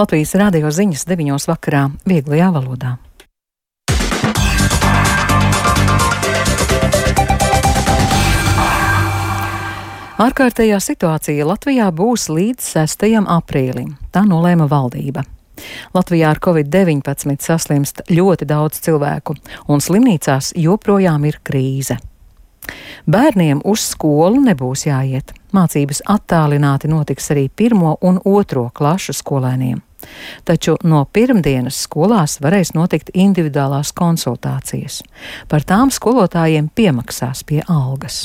Latvijas radio ziņas 9 vakarā vieglajā valodā. Ārkārtējā situācija Latvijā būs līdz 6. aprīlim. Tā nolēma valdība. Latvijā ar Covid-19 saslimst ļoti daudz cilvēku, un slimnīcās joprojām ir krīze. Bērniem uz skolu nebūs jāiet. Mācības attālināti notiks arī 1. un 2. klašu skolēniem. Taču no pirmdienas skolās varēs notikt individuālās konsultācijas. Par tām skolotājiem piemaksās pie algas.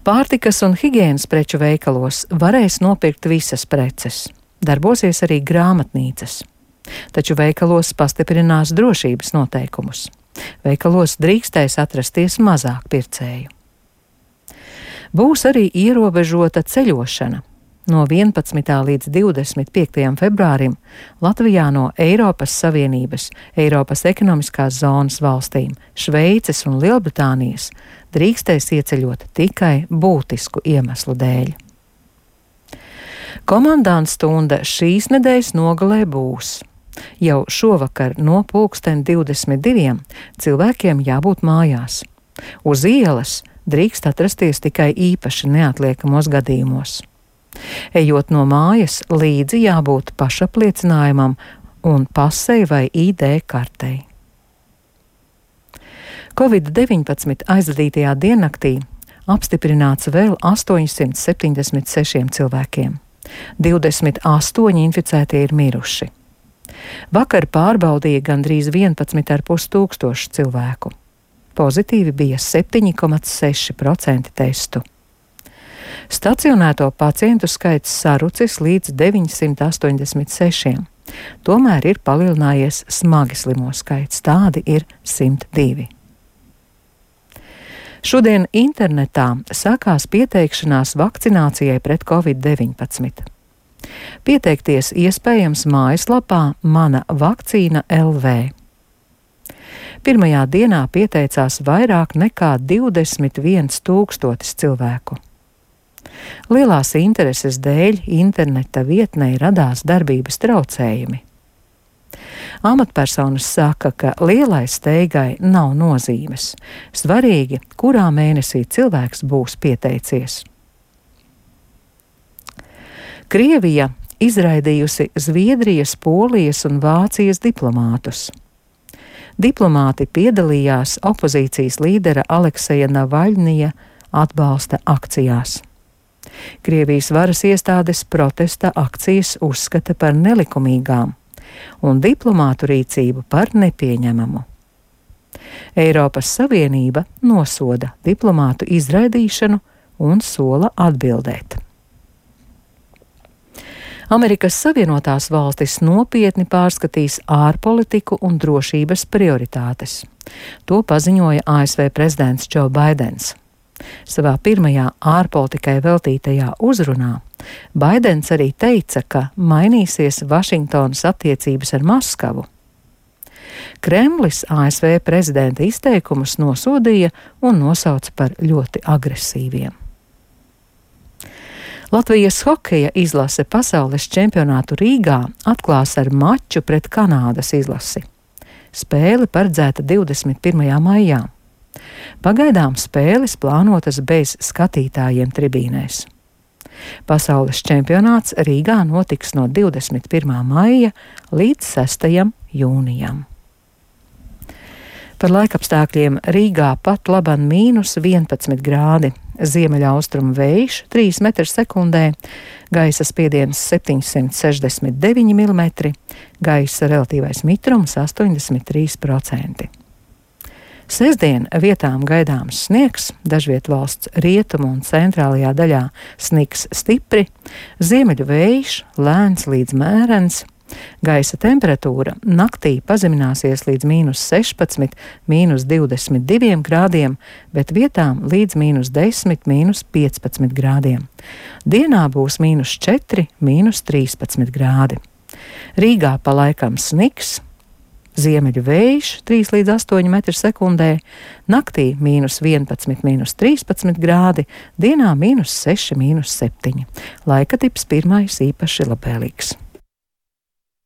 Pārtikas un higienas preču veikalos varēs nopirkt visas preces. Darbosies arī grāmatnīcas. Taču veikalos pastiprinās drošības noteikumus. Veikalos drīkstēs atrasties mazāk pircēju. Būs arī ierobežota ceļošana. No 11. līdz 25. februārim Latvijā no Eiropas Savienības, Eiropas ekonomiskās zonas valstīm, Šveices un Lielbritānijas drīkstēs ieceļot tikai būtisku iemeslu dēļ. Komandanta stunda šīs nedēļas nogalē būs. Jau šovakar no 22:00 cilvēkiem jābūt mājās. Uz ielas drīkst atrasties tikai īpaši neatliekamos gadījumos. Ejot no mājas, līdzi jābūt pašapliecinājumam un pasei vai ID kartei. Covid-19 aizvadītajā diennaktī apstiprināts vēl 876 cilvēkiem. 28 inficētie ir miruši. Vakar pārbaudīja gandrīz 11,5 tūkstoši cilvēku. Pozitīvi bija 7,6% testu. Stacionēto pacientu skaits sarucis līdz 986. Tomēr ir palielinājies smagi slimo skaits, tādi ir 102. Šodien internetā sākās pieteikšanās vakcinācijai pret Covid-19. Pieteikties iespējams mājaslapā Mana vakcīna LV. Pirmajā dienā pieteicās vairāk nekā 21 000 cilvēku. Lielās intereses dēļ interneta vietnē radās darbības traucējumi. Amatpersonas saka, ka lielai steigai nav nozīmes. Svarīgi, kurā mēnesī cilvēks būs pieteicies. Krievija izraidījusi Zviedrijas, Polijas un Vācijas diplomātus. Diplomāti piedalījās opozīcijas līdera Alekseja Navaļņija atbalsta akcijās. Krievijas varas iestādes protesta akcijas uzskata par nelikumīgām un diplomātu rīcību par nepieņemamu. Eiropas Savienība nosoda diplomātu izraidīšanu un sola atbildēt. Amerikas Savienotās valstis nopietni pārskatīs ārpolitiku un drošības prioritātes. To paziņoja ASV prezidents Džo Baidens. Savā pirmajā ārpolitikai veltītajā uzrunā Baidens arī teica, ka mainīsies Vašingtonas attiecības ar Maskavu. Kremlis ASV prezidenta izteikumus nosodīja un nosauca par ļoti agresīviem. Latvijas hokeja izlase pasaules čempionātu Rīgā atklās ar maču pret Kanādas izlasi. Spēle paredzēta 21. maijā. Pagaidām spēles plānotas bez skatītājiem tribīnēs. Pasaules čempionāts Rīgā notiks no 21. maija līdz 6. jūnijam. Par laikapstākļiem Rīgā pat laban -11 grādi, ziemeļaustrumu vējš 3 m/sekundē, gaisa spiediens 769 mm, gaisa relatīvais mitrums 83%. Sestdien vietām gaidāms sniegs, dažviet valsts rietumu un centrālajā daļā sniks stipri, ziemeļu vējš lēns līdz mērens, gaisa temperatūra naktī pazemināsies līdz -16, -22 grādiem, bet vietām līdz -10, -15 grādiem. Dienā būs -4, -13 grādi. Rīgā pa laikam sniks, ziemeļu vējš 3 līdz 8 m/sekundē, naktī -11, -13 grādi, dienā -6, -7. Laika tips pirmais īpaši labvēlīgs.